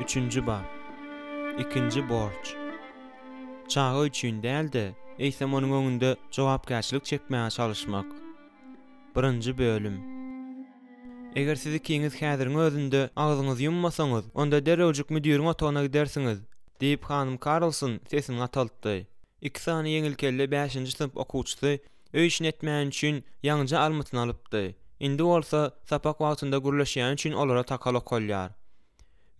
Üçünji bap. Ikinji borç. Çaga üçin däl-de, eýsem onuň öňünde jogapkärçilik çekmäge çalyşmak. Birinji bölüm. Eger siz ikiňiz häziriň özünde agzyňyzy ýummasaňyz, onda derrewjik müdiriň otagyna gidersiňiz, diýip, hanym Karlson sesini gataltdy. Iki sany ýeňilkelle bäşinji synp okuwçysy öý işini etmäni üçin ýaňyja almytyny alypdy. Indi bolsa sapak wagtynda gürleşýäni üçin olara takal okalýar.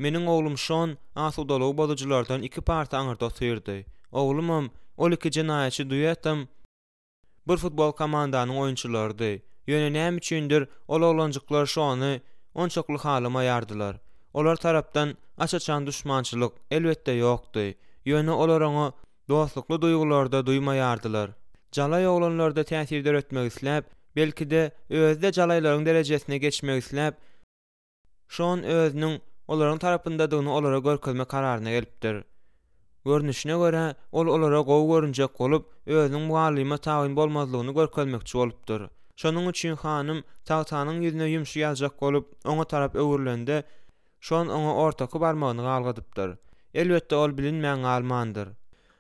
Meniň oglum Şon asudalygy bozujylardan iki parta aňyrda otyrdy. Oglumam, ol iki jenaýatçy duetem bir futbol komandanyň oýunçylarydy. Ýöne näme üçindir ol oglanjyklar Şony onçakly halamaýardylar. Olar tarapdan aç-açan duşmançylyk, elbetde, ýokdy. Ýöne olar oňa dostlukly duýgulary-da duýmaýardylar. Jalaý oglanlarda täsir döretmek isläp, belki-de, özi-de jalaýlaryň derejesine geçmek isläp, Şon özüniň olaryň tarapyndadygyny olara görkezme kararyna gelipdir. Görnüşine görä, ol olara gowy görünjek bolup, özüniň mugallyma tabyn bolmazlygyny görkezmekçi bolupdyr. Şonuň üçin hanym tagtanyň ýüzüne ýumşy ýazjak bolup, oňa tarap öwrülende, Şon oňa ortaky barmagyny galgadypdyr. Elbetde, ol bilinmän galmandyr.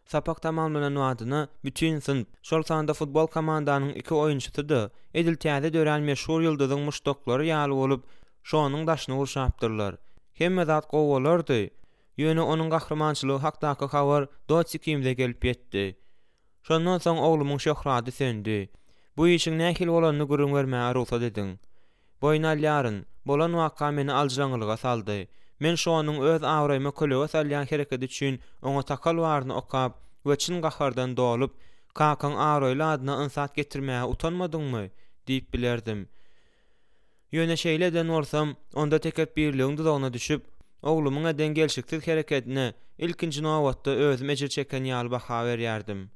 Sapak tamamlanan badyna bütin synp, şol sanda futbol komandanyň iki oýunçysy-da, edil täze dörän meşhur ýyldyzyň muşdaklary ýaly bolup, Şonuň daşyny gurşapdyrlar. Hemme zat gowy bolardy, ýöne onuň gahrymançylygy hakdaky habar Dots ikimize gelip ýetdi. Şondan soň oglumyň şöhrady söndi. Bu işiň nähili bolanyny gürrüň bermäge rugsat ediň. Boýun alýaryn, bolan waka meni aljyraňňylyga saldy. Men Şonuň öz abraýyma kölege salýan hereketi üçin oňa takal baryny okap we çyn gahardan dolup, Kakaň abraýly adyna ynsat getirmäge utanmadyňmy? diýip bilerdim. Ýöne şeýle eden bolsam, onda tekepbirligiň duzagyna düşüp, oglumyň eden gelşiksiz herekedine ilkinji nobatda özüm ejir çeken ýaly baha berýärdim.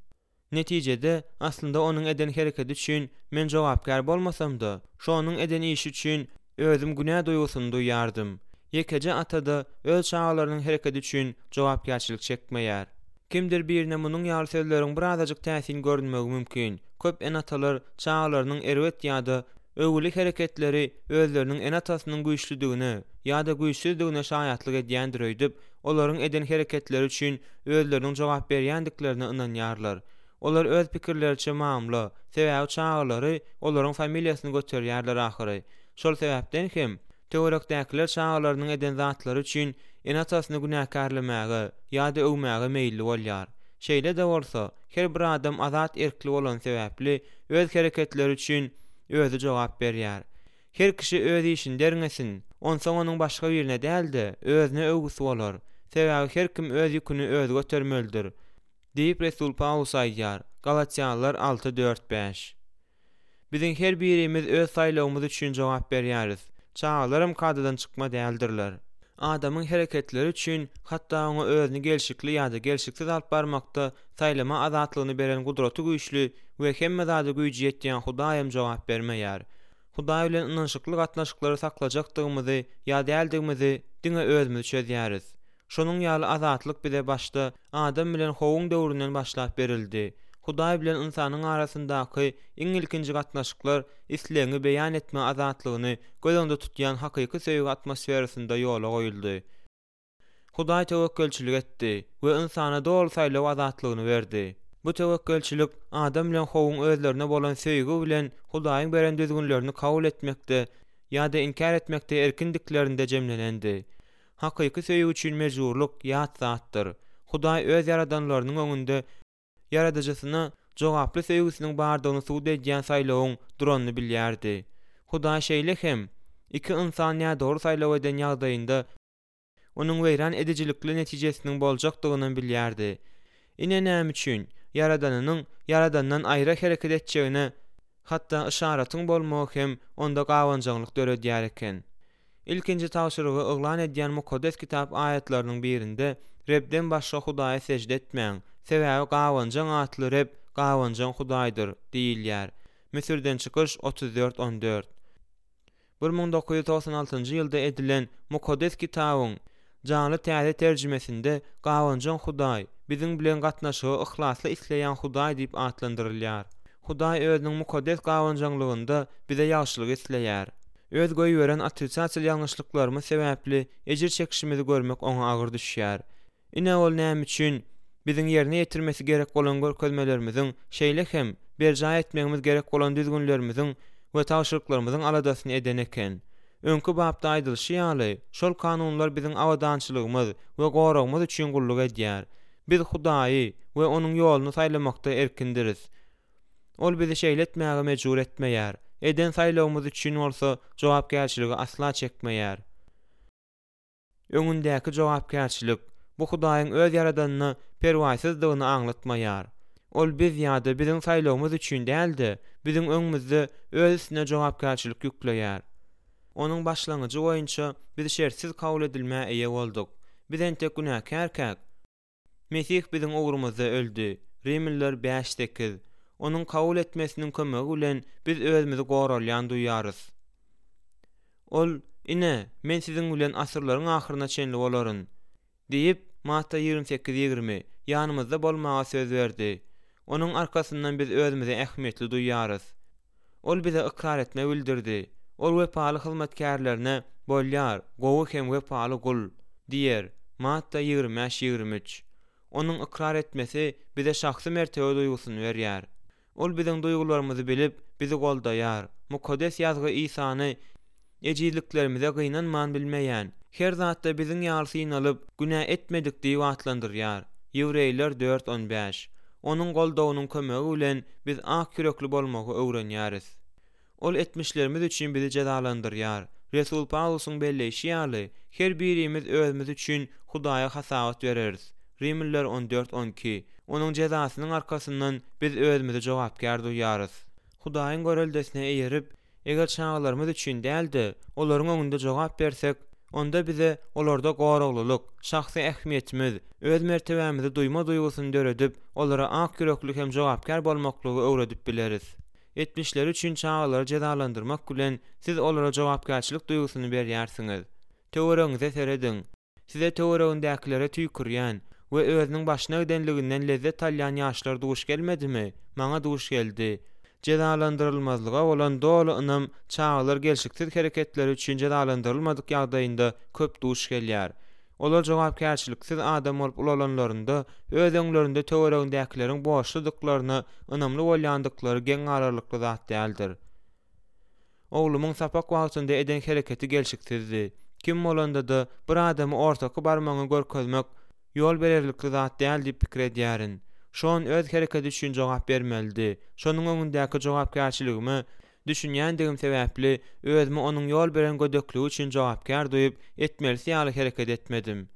Netijede, aslynda onuň eden herekedi üçin men jogapkär bolmasam-da, şonuň eden işi üçin özüm günä duýgusyny duýýardym. Ýekeje ata-da öz çagalarynyň herekedi üçin jogapkärçilik çekmeýär. Kimdir birine munuň ýaly sözleriň birazajyk täsin görünmegi mümkin. Köp ene-atalar çagalarynyň erbet ýa-da öwgüli hereketleri özleriniň ene-atasynyň güýçlüdigine ýa-da güýçsüzdigine şaýatlyk edýändir öýdüp, olaryň eden hereketleri üçin özleriniň jogap berýändiklerine ynanýarlar. Olar öz pikirleriçe mamla, sebäbi çagalary olaryň familiýasyny göterýärler ahyry. Şol sebäpden hem, töwerekdäkiler çagalarynyň eden zatlary üçin ene-atasyny günäkärlemäge ýa-da öwmäge meýilli bolýar. Şeýle-de bolsa, her bir adam azat erkli bolany sebäpli, öz hereketleri üçin özi jogap berýär. Her kişi öz işini derňesin, onsoň onuň başga birine däl-de, özüne öwgüsi bolar. Sebäbi her kim öz ýüküni özi götermelidir. Diýip, resul Pawlus aýdýar, Galatýalylar alty, dört, bäş. Biziň her birimiz öz saýlawymyz üçin jogap berýäris. Çagalaram kadadan çykma däldirler. Adamyň hereketleri üçin, hatda oňa özüni gelşikli ýa-da gelşiksiz alyp barmakda saýlama azatlygyny beren gudraty güýçli we hemme zada güýji ýetýän Hudaýam jogap bermeýär. Hudaý bilen ynanyşykly gatnaşyklary saklajakdygymyzy ýa däldigimizi diňe özümiz çözýäris. Şonuň ýaly azatlyk bize başda Adam bilen Howuň döwründen başlap berildi. Hudaý bilen ynsanyň arasyndaky iň ilkinji gatnaşyklar islegiňi beýan etme azatlygyny göz öňünde tutýan hakyky söýgi atmosferasynda ýola goýuldy. Hudaý töwekgelçilik etdi we ynsana doly saýlaw azatlygyny berdi. Bu töwekgelçilik Adam bilen Howuň özlerine bolan söýgi bilen Hudaýyň beren düzgünlerini kabul etmekde ýa-da inkär etmekde erkindiklerinde jemlenendi. Hakyky söýgi üçin mejburlyk ýat zatdyr. Hudaý öz ýaradanlarynyň öňünde Ýaradyjysyna jogaply söýgüsiniň bardygyny subut edýän saýlawyň duranyny bilýärdi. Hudaý şeýle hem, iki ynsan nädogry saýlaw eden ýagdaýynda, onuň weýran edijilikli netijesiniň boljakdygynam bilýärdi. Ine näme üçin, Ýaradanynyň Ýaradandan aýra hereket etjegine hatda yşaratyň bolmagy hem onda gabanjaňlyk döredýär eken. Ilkinji tabşyrygy yglan edýän Mukaddes Kitap aýatlarynyň birinde, Rebden başga hudaýa sežde etmäň, sebäbi gabanjaň atly Reb gabanjaň Hudaýdyr diýilýär. Müsürden çykyş 34, 14. 1996-njy ýylda edilen Mukaddes Kitabyň Janly täze terjimesinde gabanjaň Hudaý, biziň bilen gatnaşygy yhlasly isleýän Hudaý diýip atlandyrylýar. Hudaý Özüniň mukaddes gabanjaňlygynda bize ýagşylyk isleýär. Öz goýberen otrisatel ýalňyşlyklarymyz sebäpli ejir çekişimizi görmek oňa agyr düşýär. Ine ol näme üçin biziň ýerine ýetirmesi gerek bolan görkezmelerimiziň, şeýle hem, berjaý etmegimiz gerek bolan düzgünlerimiziň we tabşyryklarymyzyň aladasyny eden eken. Öňki bapda aýdylyşy ýaly, şol kanunlar biziň abadançylygymyz we goragymyz üçin gulluk edýär. Biz Hudaýy we Onuň ýoluny saýlamakda erkindiris. Ol bizi şeýle etmäge mejbur etmeýär, eden saýlawymyz üçin bolsa jogapkärçiligi asla çekmeýär. Öňündäki jogapkärçilik, bu Hudaýyň öz ýaradanyna perwaýsyzdygyny aňlatmaýar. Ol biz ýa-da biziň saýlawymyz üçin däl-de, biziň öňümizde öz üstüne jogapkärçilik ýükleýär. Onuň başlangyjy boýunça biz şertsiz kabul edilmä eýe bolduk. Biz entek günäkärkäk, Mesih biziň ugrumyzda öldi, Rimliler bäş, sekiz. Onuň kabul etmesiniň kömegi bilen biz özümizi goralýan duýarys. Ol, Ine, Men siziň bilen asyrlaryň ahyryna çenli bolaryn. Diýip, Matta 28, 20, ýanymyzda bolmaga söz berdi. Onuň arkasyndan biz özümizi ähmiýetli duýarys. Ol bize ykrar etme bildirdi. Ol wepaly hyzmatkärlerine, Bolýar, gowy hem wepaly gul! diýer, Matta 25, 23. Onuň ykrar etmesi bize şahsy mertebe duýgusyny berýär. Ol biziň duýgularymyzy bilip, bizi goldaýar. Mukaddes Ýazgy Isany ejizliklerimize gynanman bilmeýän, her zatda biziň ýaly synalyp, günä etmedik diýip atlandyrýar, Ýewreýler dört, on bäş. Onuň goldawynyň kömegi bilen biz ak ýürekli bolmagy öwrenýäris. Ol etmişlerimiz üçin bizi jezalandyrýar. Resul Pawlusyň belleýşi ýaly, her birimiz özümiz üçin Hudaýa hasabat bereris. Rimliler on dört, on iki. Onuň jezasynyň arkasyndan biz özümizi jogapkär duýarys. Hudaýyň göreldesine eýerip, Eger çagalarymyz üçin däl-de, olaryň öňünde jogap bersek, onda bize olarda goraglylyk, şahsy ähmiýetimiz, öz mertebämizi duýma duýgusyny döredip, olara ak ýürekli hem jogapkär bolmaklygy öwredip bileris. Etmişleri üçin çagalary jezalandyrmak bilen, siz olara jogapkärçilik duýgusyny berýärsiňiz. Töweregiňize serediň. Size töweregindäkilere tüýkürýän we özüniň başyna gidenliginden lezzet alýan ýaşlar duş gelmedimi? Maňa duş geldi. Jezalandyrylmazlyga bolan doly ynam çagalar gelşiksiz hereketleri üçin jezalandyrylmadyk ýagdaýynda köp duş gelýär. Olar jogapkärçiliksiz adam bolup ulalanlarynda öz öňlerinde töweregindäkileriň borçludyklaryna ynamly bolýandyklary geň galarlykly zat däldir. Oglumyň sapak wagtynda eden hereketi gelşiksizdi. Kim bolanda-da, bir adamy ortaky barmagyňy görkezmek ýol bererlikli zat däl diýip pikir edýärin. Şon öz hereketi üçin jogap bermelidi. Şonuň öňündäki jogapkärçiligime düşünýändigim sebäpli, özümi onuň ýol beren gödekligi üçin jogapkär duýup, etmelisi ýaly hereket etmedim.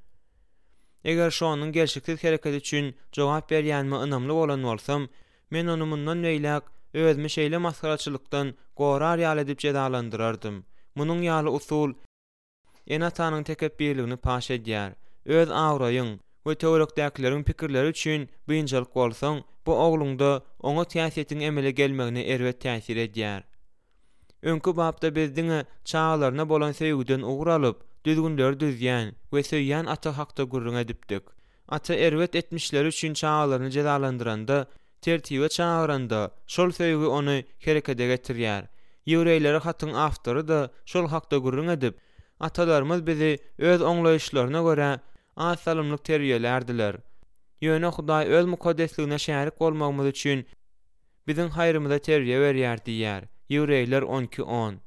Eger Şonuň gelşiksiz hereketi üçin jogap berýänime ynamly bolan bolsam, Men ony mundan beýläk özümi şeýle masgaraçylykdan gorar ýaly edip jezalandyrardym. Munuň ýaly usul ene-atanyň tekepbirligini paş edýär. Öz abraýyň we töwerekdäkileriň pikirleri üçin biynjalyk bolsaň, bu ogluňda oňat häsiýetiň emele gelmegine erbet täsir edýär. Öňki bapda biz diňe çagalaryna bolan söýgüden ugur alyp, düzgünleri düzýän we söýýän ata hakda gürrüň edipdik. Ata erbet etmişleri üçin çagalaryny jezalandyranda, tertibe çagyranda, şol söýgi ony herekede getirýär. Ýewreýlere hatyň awtory-da şol hakda gürrüň edip, Atalarymyz bizi öz oňlaýyşlaryna görä az salymlyk terbiýelärdiler. Ýöne Hudaý Öz mukaddesligine şärik bolmagymyz üçin biziň haýrymyza terbiýe berýär diýýär. Ýewreýler on iki on.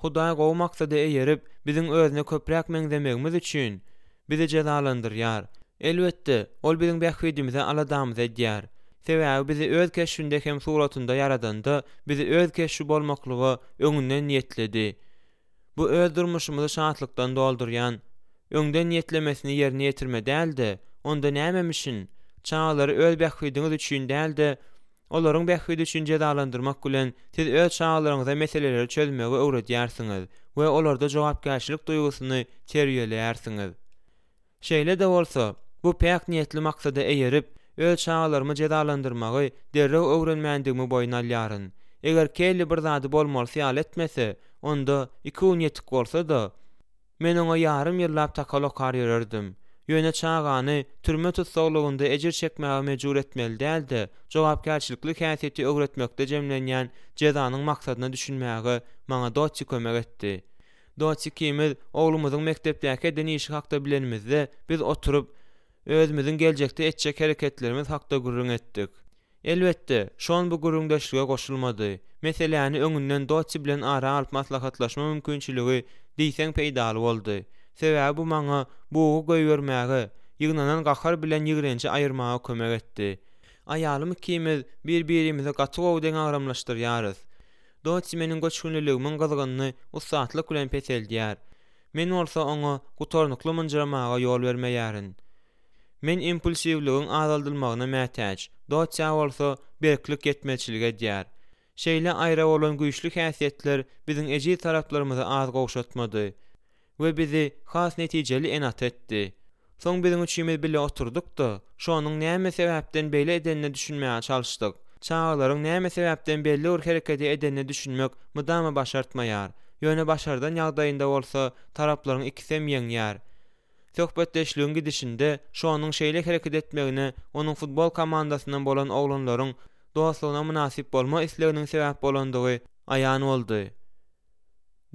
Hudaý gowy maksada eýerip, biziň özüne köpräk meňzemegimiz üçin, bizi jezalandyrýar. Elbetde, Ol biziň bähbidimize aladamyzy edýär. Sebäbi bizi Öz keşbinde hem suratynda ýaradanda, bizi Öz keşbi bolmaklyga öňünden niýetledi. Bu öz durmuşymyzy şatlykdan doldurýan, öňden niýetlemesini ýerine ýetirme däl-de, onda nämemişin? Çagalary öz bähbidiňiz üçin däl-de, olaryň bähbidi üçin jezalandyrmak bilen, siz öz çagalaryňyza meseleleri çözmegi öwredýärsiňiz we olarda jogapkärçilik duýgusyny terbiýeleýärsiňiz. Şeýle-de bolsa, bu päk niýetli maksada eýerip, öz çagalarymy jezalandyrmagy derrew öwrenmändigimi boýun alýaryn. Eger Kelli bir zady bolmalysy ýaly etmese, onda, iki gün ýetik bolsa-da, men oňa ýarym ýyllap takal okar ýörerdim. Ýöne çagany türme tussaglygynda ejir çekmäge mejbur etmeli däl-de, jogapkärçilikli häsiýeti öwretmekde jemlenýän jezanyň maksadyna düşünmäge maňa Dotti kömek etdi. Dotti ikimiz oglumyzyň mekdepdäki eden işi hakda bilenimizde, biz oturyp, özümiziň geljekde etjek hereketlerimiz hakda gürrüň etdik. Elbetde, Şon bu gürrüňdeşlige goşulmady. Meseläni öňünden Dotti bilen ara alyp maslahatlaşma mümkinçiligi diýseň peýdaly boldy. Sebäbi bu maňa bugy goýbermäge, ýygnanan gahar bilen ýigrenji aýyrmaga kömek etdi. Aýalym ikimiz bir-birimizi gaty gowy deňagramlaşdyrýarys. Dotti meniň göçgünliligimiň gyzgynyny ussatlyk bilen peseldýär. Men bolsa oňa gutarnykly mynjyramaga ýol bermeýärin. Men impulsiwligiň azaldylmagyna mätäç, Dotýa bolsa berklik ýetmezçilik edýär. Şeýle aýra bolan güýçli häsiýetler biziň ejiz taraplarymyzy az gowşatmady we bizi has netijeli ene-ata etdi. Soň biziň üçimiz bile oturdyk-da, Şonuň näme sebäpden beýle edenine düşünmäge çalyşdyk. Çagalaryň näme sebäpden belli bir herekedi edenine düşünmek mydama başartmaýar. Ýöne başardan ýagdaýynda bolsa taraplaryň ikisem ýeňýär. Söhbetdeşligiň gidişinde Şonuň şeýle hereket etmegine onuň futbol komandasyndan bolan oglanlaryň dostlugyna mynasyp bolma isleginiň sebäp bolandygy aýan boldy.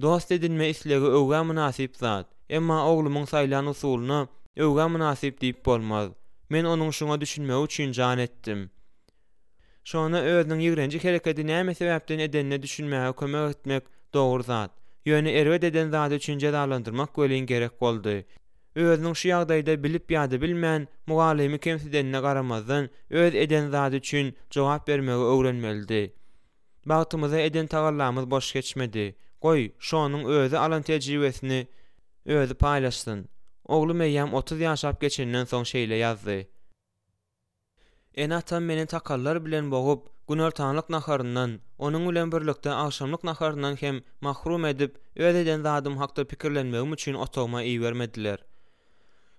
Dost edinme islegi öwgä mynasyp zat. Emma oglumyň saýlan usulyna öwgä mynasyp diýip bolmaz. Men onuň şuňa düşünmegi üçin jan etdim. Şona özüniň ýigrenji herekedi näme sebäpden edenine düşünmäge kömek etmek dogry zat. Ýöne erbet eden zady üçin jezalandyrmak welin gerek boldy. Özüniň şu ýagdaýda bilip ýa-da bilmän mugallymy kemsidenine garamazdan öz eden zady üçin jogap bermegi öwrenmelidi. Bagtymyza eden tagallamyz boş geçmedi. Goý, Şonuň özi alan tejribesini özi paýlaşsyn. Oglum eýýäm 30 ýaşap geçenden soň şeýle ýazdy. Ene-atam meni takallar bilen bogup, günortanlyk naharyndan, onuň bilen birlikde agşamlyk naharyndan hem mahrum edip, öz eden zadym hakda pikirlenmegim üçin otagyma ibermediler.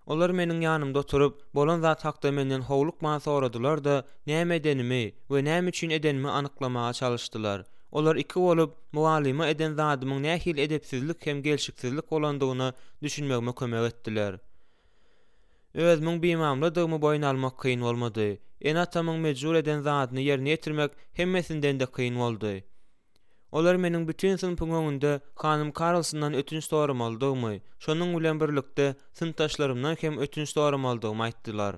Olar meniň ýanymda oturyp, bolan zat hakda menden howlukman soradylar-da, näme edenimi we näme üçin edenimi anyklamaga çalyşdylar. Olar iki bolup, mugallyma eden zadymyň nähili edepsizlik hem gelşiksizlik bolandygyna düşünmegime kömek etdiler. Özümiň bimamladygymy boýun almak kyn bolmady. Ene-atamyň mejbur eden zadyny ýerine ýetirmek hemmesinden-de kyn boldy. Olar meniň bütin synpyň öňünde hanym Karlsondan ötünç soramalydygymy, şonuň bilen birlikde synpdaşlarymdan hem ötünç soramalydygymy aýtdylar.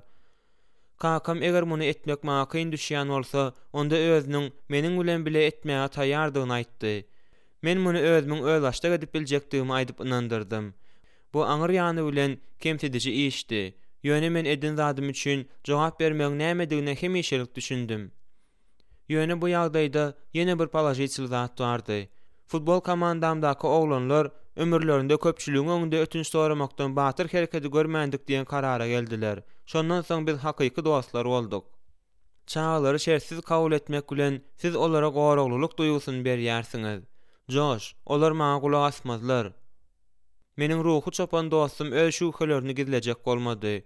Kakam eger muny etmek maňa kyn düşýän bolsa, onda özüniň meniň bilen bile etmäge taýýardygyny aýtdy. Men muny özümiň özbaşdak edip biljekdigimi aýdyp ynandyrdym. Bu aňyr ýany bilen kemsidiji işdi. Ýöne men eden zadym üçin jogap bermegiň nämedigine hemişelik düşündim. Ýöne bu ýagdaýda ýene bir položitel zat bardy. Futbol komandamdaky oglanlar ömürlerinde köpçüligiň öňünde ötünç soramakdan batyr herekedi görmändik diýen karara geldiler. Şondan soň biz hakyky dostlar bolduk. Çagalary şertsiz kabul etmek bilen siz olara goraglylyk duýgusyny berýärsiňiz. Joş, olar maňa gulak asmazlar. Meniň ruhy çopan dostum öz şübhelerini gizlejek bolmady.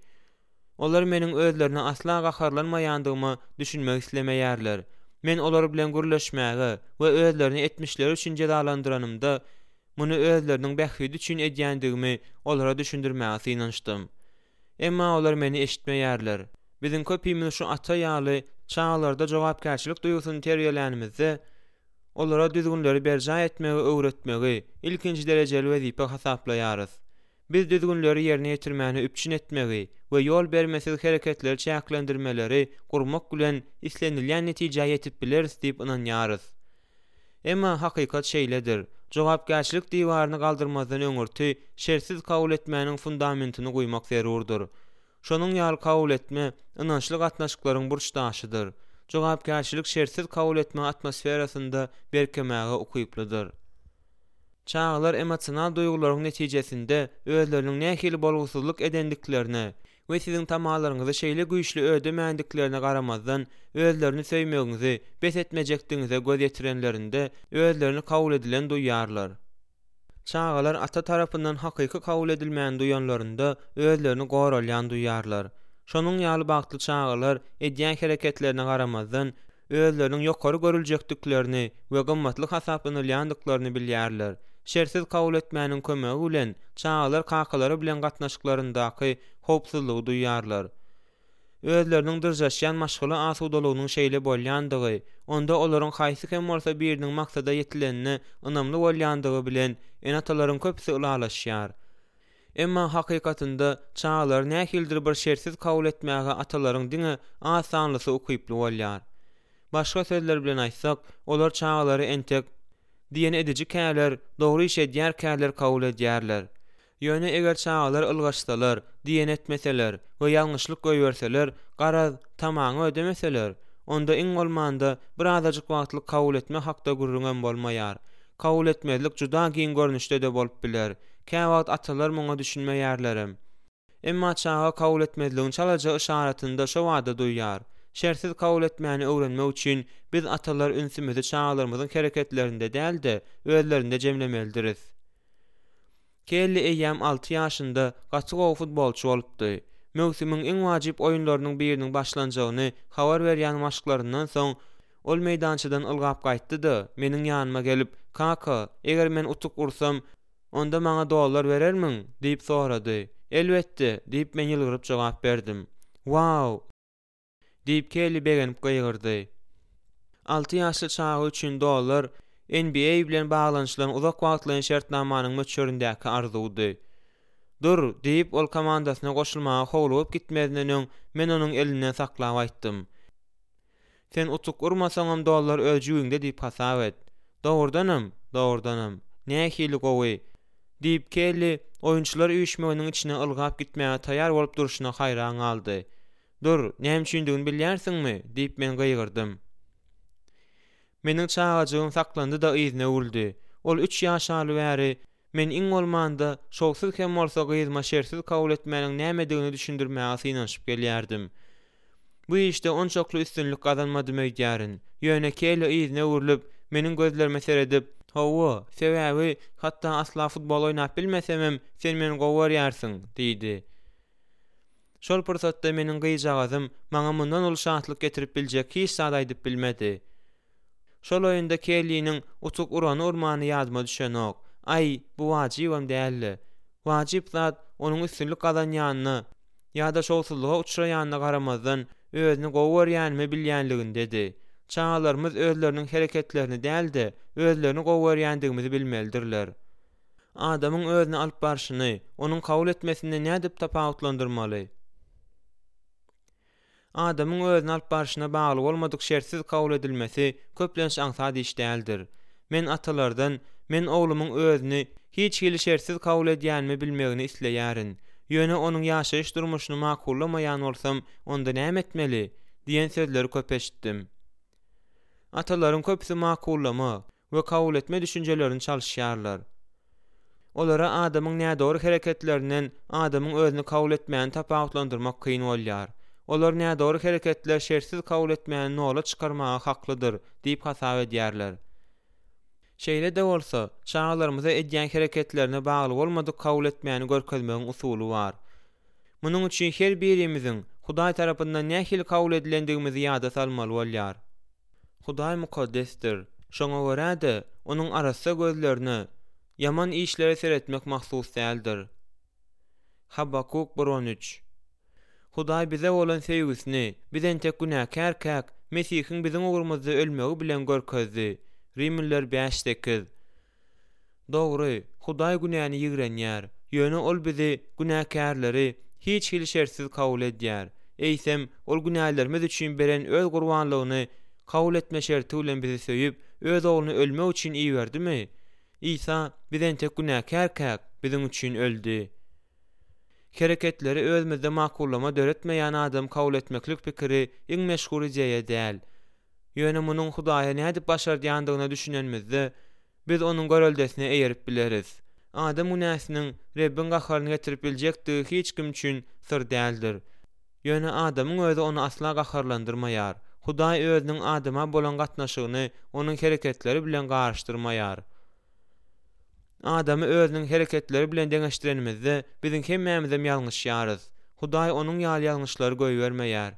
Olar meniň özlerine asla gaharlanmaýandygyma düşünmek islemeýärler. Men olar bilen gürleşmäge we özlerini etmişleri üçin jezalandyranymda, muny özleriniň bähbidi üçin edýändigimi olara düşündirmäge synanyşdym. Emma olar meni eşitmeýärler. Biziň köpimiz şu ata ýaly çagalarda jogapkärçilik duýgusyny terbiýelänimizde, olara düzgünleri berjaý etmegi öwretmegi ilkinji derejeli wezipe hasaplaýarys. Biz düzgünleri ýerine ýetirmäni üpjün etmegi we ýol bermesiz hereketleri çäklendirmeleri gurmak bilen islenilýän netijä ýetip bileris diýip ynanýarys. Emma hakykat şeýledir, jogapkärçilik diwaryny galdyrmazdan öňürti şertsiz kabul etmäniň fundamentini guýmak zerurdyr. Şonuň ýaly kabul etme ynançly gatnaşyklaryň burç daşydyr. Jogapkärçilik şertsiz kabul etme atmosferasynda berkemäge ukyplydyr. Çagalar emosional duýgularyň netijesinde özleriniň nähili bolgusyzlyk edendiklerine we siziň tamalaryňyzy şeýle güýçli ödemändiklerine garamazdan özlerini söýmegiňizi bes etmejekdigiňize göz ýetirenlerinde özlerini kabul edilen duýarlar. Çagalar ata tarapyndan hakyky kabul edilmäni duýanlarynda özlerini goralýan duýarlar. Şonuň ýaly bagtly çagalar edýän hereketlerine garamazdan özleriniň ýokary görüljekdiklerini we gymmatly hasaplanylýandyklaryny bilýärler. Şertsiz kabul etmäniň kömegi bilen çagalar kakalary bilen gatnaşyklaryndaky howpsuzlygy duýýarlar. Özleriniň dyrjaşýan maşgala asudalygynyň şeýle bolýandygy, onda olaryň haýsy hem bolsa biriniň maksada ýetilenine ynamly bolýandygy bilen ene-atalaryň köpüsi ylalaşýar. Emma hakykatynda çagalary nähilidir bir şertsiz kabul etmäge atalaryň diňe az sanlysy ukyply bolýar. Başga sözler bilen aýtsak, olar çagalary entek diýen edijikäler, dogry iş edýärkäler kabul edýärler. Ýöne eger çagalar ylgaşsalar, diýen etmeseler we ýalňyşlyk goýberseler, garaz, tamaňy ödemeseler, onda iň bolmanda birazajyk wagtlyk kabul etme hakda gürrüňem bolmaýar. Kabul etmezlik juda giň görnüşde-de bolup biler. Käwagt atalar muňa düşünmeýärlerem. Emma çaga kabul etmezligiň çalaja yşaratyny-da şobada duýýar. Şertsiz kabul etmäni öwrenmek üçin biz atalar ünsümizi çagalarymyzyň hereketlerinde däl-de, özlerinde jemlemelidiris. Kelli eýýäm alty ýaşynda gaty gowy futbolçy bolupdy. Möwsümiň iň wajyp oýunlarynyň biriniň başlanjagyny habar berýän maşklaryndan soň, ol meýdançadan ylgap gaýtdy-da, meniň ýanyma gelip, Kaka, eger men utuk ursam, onda maňa dollar berermiň? diýip sorady. Elbetde, diýip, men ýylgyryp jogap berdim. Wau! Diýip, Kelli begenip gygyrdy. Alty ýaşly çaga üçin dollar NBA bilen baglanyşylan uzak wagtlaýyn şertnamanyň möçberindäki arzuwdy. Dur, diýip, ol komandasyna goşulmaga howlugyp gitmezinden öň men onuň elinden saklap aýtdym. Sen utuk urmasaňam dollar öz jübiňde diýip hasap et. Dogrudanam, dogrudanam. Nähili gowy! Diýip, Kelli oýunçylar üýşmeginiň içine ylgap gitmäge taýýar bolup durşuna haýran galdy. Dur, näme üçindigini bilýärsiňmi? diýip, men gygyrdym. Meniň çagajygym saklandy-da yzyna öwrüldi. Ol üç ýaşaly bäri, men iň bolmanda, şowsuz hem bolsa gyzyma şertsiz kabul etmäniň nämedigini düşündirmäge synanyşyp gelýärdim. Bu işde onçakly üstünlik gazanmadym öýdýärin. Ýöne Kelli yzyna öwrülip, meniň gözlerime seredip, Hawa, sebäbi, hatda asla futbol oýnap bilmesemem, sen meni gowy görýärsiň, diýdi. Şol pursatda meniň gyzjagazym maňa mundan uly şatlyk getirip biljek hiç zat aýdyp bilmedi. Şol oýunda Kelliniň utuk urany-urmany ýadyma düşenok. Aý, bu wajybam däldi. Wajyp zat, onuň üstünlik gazanýanyna ýa-da şowsuzlyga uçraýanyna garamazdan, özüni gowy görýänimi bilýänligindedi. Çagalarymyz özleriniň hereketlerini däl-de, özlerini gowy görýändigimizi bilmelidirler. Adamyň özüni alyp barşyny, onuň kabul etmesinden nädip tapawutlandyrmaly? Adamyň özüni alyp barşyna bagly bolmadyk şertsiz kabul edilmesi köplenç aňsat iş däldir. Men atalardan men oglumyň özüni hiç hili şertsiz kabul edýänimi bilmegini isleýärin. Ýöne onuň ýaşaýyş durmuşyny makullamaýan bolsam, onda näme etmeli? diýen sözleri köp eşitdim. Atalaryň köpüsi makullama we kabul etme düşünjelerini çalyşýarlar. Olara adamyň nädogry hereketlerinden adamyň özüni kabul etmäni tapawutlandyrmak kyn bolýar. Olar nädogry hereketler şertsiz kabul etmäni nola çykarmaga haklydyr diýip hasap edýärler. Şeýle-de bolsa, çagalarymyza edýän hereketlerine bagly bolmadyk kabul etmäni görkezmegiň usuly bar. Munuň üçin her birimiziň Hudaý tarapyndan nähili kabul edilendigimizi ýada salmaly bolýar. Hudaý mukaddesdir, şoňa görä-de, Onuň arassa gözlerine ýaman işlere seretmek mahsus däldir. Habakuk bir 13. Hudaý bize bolan söýgüsini, biz entek günäkärkäk, Mesihiň biziň ugrumyzda ölmegi bilen görkezdi. Rimliler bäş sekiz. Dogry, Hudaý günäni ýigrenýär, ýöne Ol bizi, günäkärleri, hiç hili şertsiz kabul edýär. Eýsem, Ol günälerimiz üçin beren Öz gurbanlygyny kabul etme şerti bilen bizi söýüp, Öz Ogluny ölmek üçin iberdimi? Isa, biz entek günäkärkäk, biziň üçin öldi. Hereketleri özümizde makullama döretmeýän adam kabul etmeklik pikiri iň meşhur ideýa däl. Ýöne munuň Hudaýa nädip başardýandygyna düşünenimizde, biz Onuň göreldesine eýerip bileris. Adam günäsiniň Rebbiň gaharyny getirip biljekdigi hiç kim üçin syr däldir. Ýöne adamyň özi ony asla gaharlandyrmaýar. Hudaý Özüniň adama bolan gatnaşygyny onuň hereketleri bilen garyşdyrmaýar. Adamy özüniň hereketleri bilen deňeşdirenimizde, biziň hemmämizem ýalňyşýarys. Hudaý onuň ýaly ýalňyşlary goýbermeýär.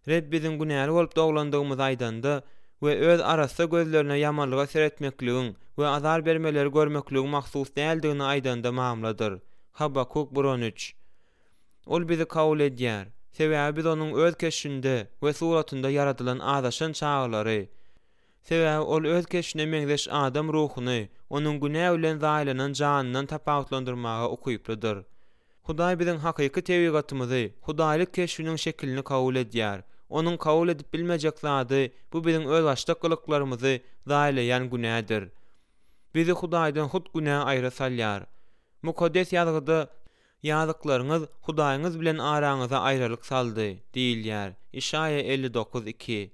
Reb biziň günäli bolup doglandygymyzy aýdanda, we öz arassa gözlerine ýamanlyga seretmekligiň we azar bermeleri görmekligiň mahsus däldigini aýdanda mamladyr. Habakuk bir 13. Ol bizi kabul edýär, sebäbi biz onuň öz keşbinde we suratynda ýaradylan azaşan çagalary. Sebäbi ol öz keşbine meňzeş adam ruhuny onuň günä bilen zaýalanan janyndan tapawutlandyrmaga ukyplydyr. Hudaý biziň hakyky tebigatymyzy, hudaýlyk keşbiniň şekilini kabul edýär. Onuň kabul edip bilmejek zady, bu biziň özbaşdak gylyklarymyzy zaýalaýan günädir. Bizi Hudaýdan hut günä aýra salýar. Mukaddes Ýazgyda Ýazyklaryňyz Hudaýyňyz bilen araňyza aýralyk saldy diýilýär, Işaýa 59, 2.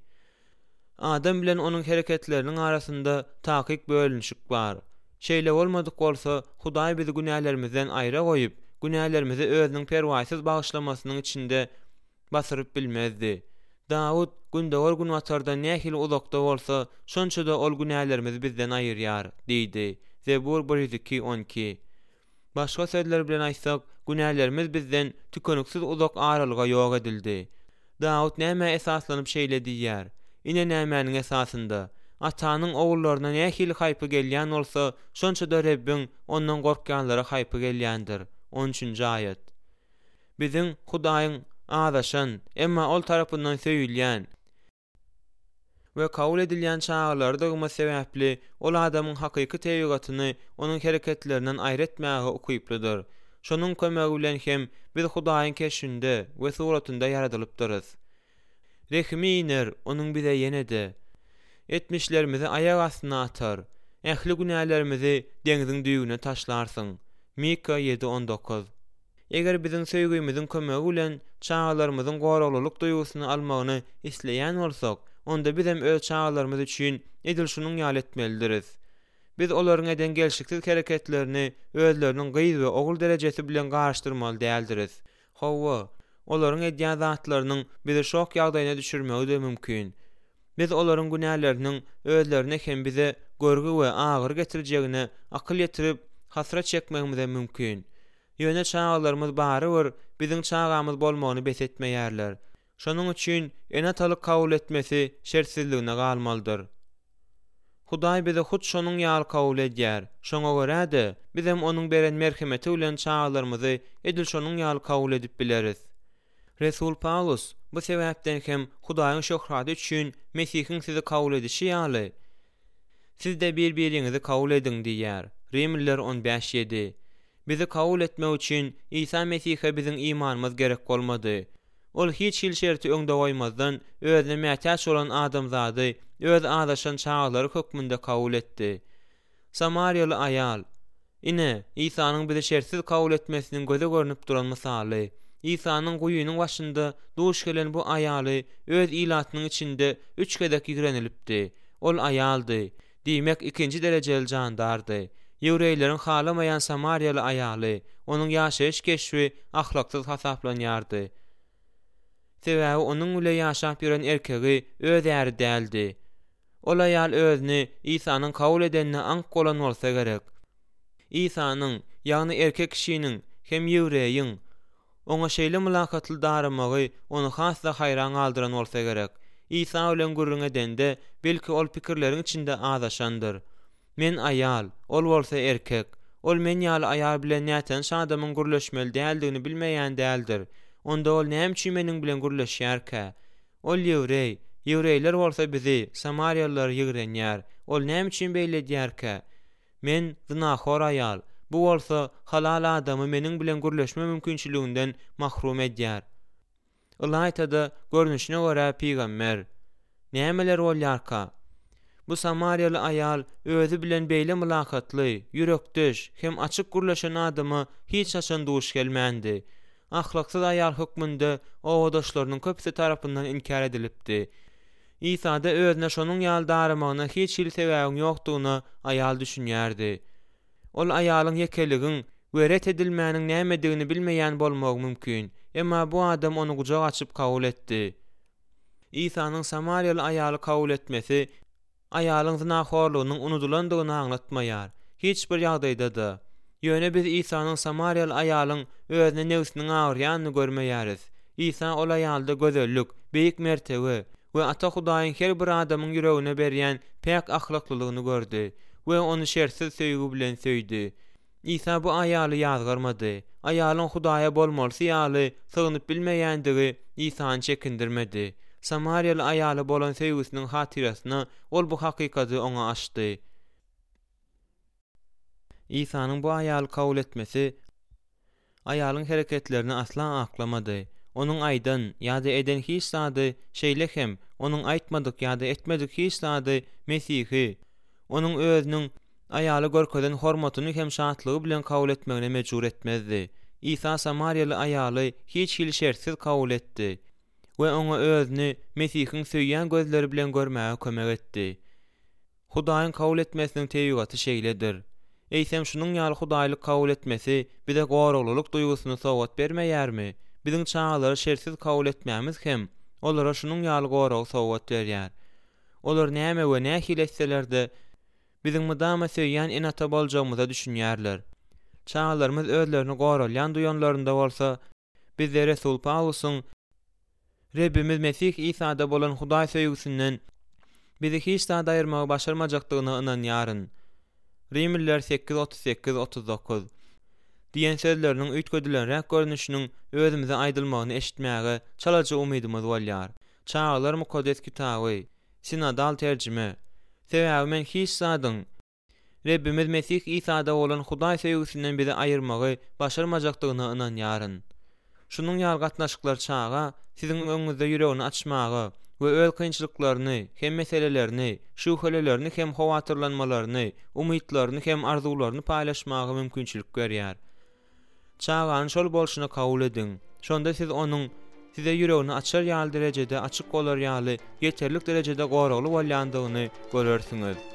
Adam bilen onuň hereketleriniň arasynda takyk bölünişik bar. Şeýle bolmadyk bolsa, Hudaý bizi günälerimizden aýra goýup, günälerimizi Özüniň perwaýsyz bagyşlamasynyň içinde basyryp bilmezdi. Dawut, Gündogar günbatardan nähili uzakda bolsa, şonça-da Ol günälerimizi bizden aýyrýar diýdi, Zebur 102, 12. Başga sözler bilen aýtsak, günälerimiz bizden tükeniksiz uzak aralyga ýok edildi. Dawut nämä esaslanyp şeýle diýýär? Ine nämäniň esasynda, Atanyň ogullaryna nähili haýpy gelýän bolsa, şonça-da Rebbiň ondan gorkýanlara haýpy gelýändir. On üçünji aýat. Biziň Hudaýyň azaşan, emma Ol tarapyndan söýülýän, we kabul edilýän çagalarydygymyz sebäpli, ol adamyň hakyky tebigatyny onuň hereketlerinden aýry etmäge ukyplydyr. Şonuň kömegi bilen hem biz Hudaýyň keşbinde we suratynda ýaradylypdyrys. Rehimi iner Onuň bize ýene-de. Etmişlerimizi aýak astyna atar. Ähli günälerimizi deňziň düýbüne taşlarsyň. Mika ýedi 19. Eger biziň söýgimiziň kömegi bilen çagalarymyzyň goraglylyk duýgusyny almagyny isleýän bolsak, onda bizem öz çagalarymyz üçin edil şunuň ýaly etmelidiris. Biz olaryň eden gelşiksiz hereketlerini özleriniň gyz we ogul derejesi bilen garyşdyrmaly däldiris. Hawa, olaryň edýän zatlarynyň bizi şok ýagdaýyna düşürmegi-de mümkin. Biz olaryň günäleriniň özlerine hem bize görgi we agyry getirjegine akyl ýetirip, hasrat çekmegimizem mümkin. Ýöne çagalarymyz barybir biziň çagamyz bolmagyny bes etmeýärler. Şonuň üçin ene-atalyk kabul etmesi şertsizligine galmalydyr. Hudaý bizi hut şonuň ýaly kabul edýär. Şoňa görä-de, bizem Onuň beren merhemeti bilen çagalarymyzy edil şonuň ýaly kabul edip bileris. Resul Pawlus, Bu sebäpden hem Hudaýyň şöhraty üçin Mesihiň sizi kabul edişi ýaly, siz-de bir-biriňizi kabul ediň diýýär. Rimliler 15, 7. Bizi kabul etmek üçin Isa Mesihe biziň imanymyz gerek bolmady. Ol hiç hili şerti öňde goýmazdan, özüne mätäç bolan adamzady öz azaşan çagalary hökmünde kabul etdi. Samariýaly aýal. Ine, Isanyň bizi şertsiz kabul etmesiniň göze görnüp duran mysaly. Isanyň guýynyň başynda duş gelen bu aýaly öz ilatynyň içinde üç gezek ýigrenilipdi. Ol aýaldy, diýmek, ikinji derejeli jandardy. Ýewreýleriň halamaýan samariýaly aýaly, onuň ýaşaýyş keşbi ahlaksyz hasaplanýardy. Sebäbi onuň bile ýaşap ýören erkegi öz äri däldi. Ol aýal özüni Isanyň kabul edenine aňk bolan bolsa gerek. Isanyň, ýagny erkek kişiniň hem ýewreýiň, oňa şeýle mylakatly daramagy ony has-da haýran galdyran bolsa gerek. Isa bilen gürrüň edende, belki ol pikirleriň içinde azaşandyr. Men aýal, ol bolsa erkek. Ol men ýaly aýal bilen nätanyş adamyň gürleşmeli däldigini bilmeýän däldir. Onda ol näme üçin meniň bilen gürleşýärkä? Ol ýewreý, ýewreýler bolsa bizi, samariýalylary ýigrenýär. Ol näme üçin beýle edýärkä? Men, zynahor aýal, bu bolsa halal adamy meniň bilen gürleşme mümkinçiliginden mahrum edýär. Ylaýta-da, görnüşine görä pygamber. Nämeler bolýarka? Bu samariýaly aýal özi bilen beýle mylakatly, ýürekdeş hem açyk gürleşen adama hiç haçan duş gelmändi. Ahlaksyz aýal hökmünde obadaşlarynyň köpüsi tarapyndan inkär edilipdi. Isada özüne şonuň ýaly daramagyna hiç hili sebäbiň ýokdugyna aýal düşünýärdi. Ol aýalyň ýekeligiň we ret edilmäniň nämedigini bilmeýän bolmagy mümkin, emma bu adam ony gujak açyp kabul etdi. Isanyň samariýaly aýaly kabul etmesi aýalyň zynahorlugynyň unudylandygyny aňlatmaýar. Hiç bir ýagdaýda-da. Ýöne biz Isanyň samariýaly aýalyň özüne nebsiniň agyrýanyny görmeýäris. Isa ol aýalda gözellik, beýik mertebe. we Ata Hudaýyň her bir adamyň ýüregine berýän päk ahlaklylygyny gördi we ony şertsiz söýgi bilen söýdi. Isa bu aýaly ýazgarmady. Aýalyň Hudaýa bolmalysy ýaly sygynyp bilmeýändigi Isany çekindirmedi. Samariýaly aýala bolan söýgüsiniň hatyrasyna ol bu hakykaty oňa açdy. Isanyň bu aýaly kabul etmesi aýalyň hereketlerini asla aklamady. Onuň aýdan ýa-da eden hiç zady, şeýle hem, onuň aýtmadyk ýa-da etmedik hiç zady Mesihi, Onuň özüniň aýala görkezen hormatyny hem şatlygy bilen kabul etmegine mejbur etmezdi. Isa samariýaly aýaly hiç hili şertsiz kabul etdi we oňa özüni Mesihiň söýýän gözleri bilen görmäge kömek etdi. Hudaýyň kabul etmesiniň tebigaty şeýledir. Eýsem şunuň ýaly hudaýlyk kabul etmesi bize goraglylyk duýgusyny sowgat bermeýärmi? Biziň çagalary şertsiz kabul etmämiz hem olara şunuň ýaly goragy sowgat berýär. Olar näme we nähili etseler-de, biziň mydama söýýän ene-ata boljagymyza düşünýärler. Çagalarymyz özlerini goralýan duýanlarynda bolsa, Bizde resul Pawlusyň Rebbimiz Mesih Isada bolan Hudaý söýgüsinden bizi hiç zat aýyrmagy başarmajakdygyna ynanýaryn. Rimliler 8, 38, 39, diýen sözleriniň üýtgedilenräk görnüşiniň özümize aýdylmagyny eşitmäge çalaja umydymyz bolýar. Çagalar Mukaddes Kitaby, Sinodal terjime, Sebäbi men hiç zadyň, Rebbimiz Mesih Isada bolan Hudaý söýgüsinden bizi aýyrmagy başarmajakdygyna ynanýaryn. Şunuň ýaly gatnaşyklar çaga siziň öňüňizde ýüregini açmaga we öz kynçylyklaryny hem meselelerini, şübhelelerini hem howatyrlanmalaryny, umytlaryny hem arzuwlaryny paýlaşmaga mümkinçilik berýär. Çagany şol bolşuna kabul ediň. Şonda siz onuň size ýüregini açar ýaly derejede açyk bolar ýaly ýeterlik derejede goragly bolýandygyny görersiňiz.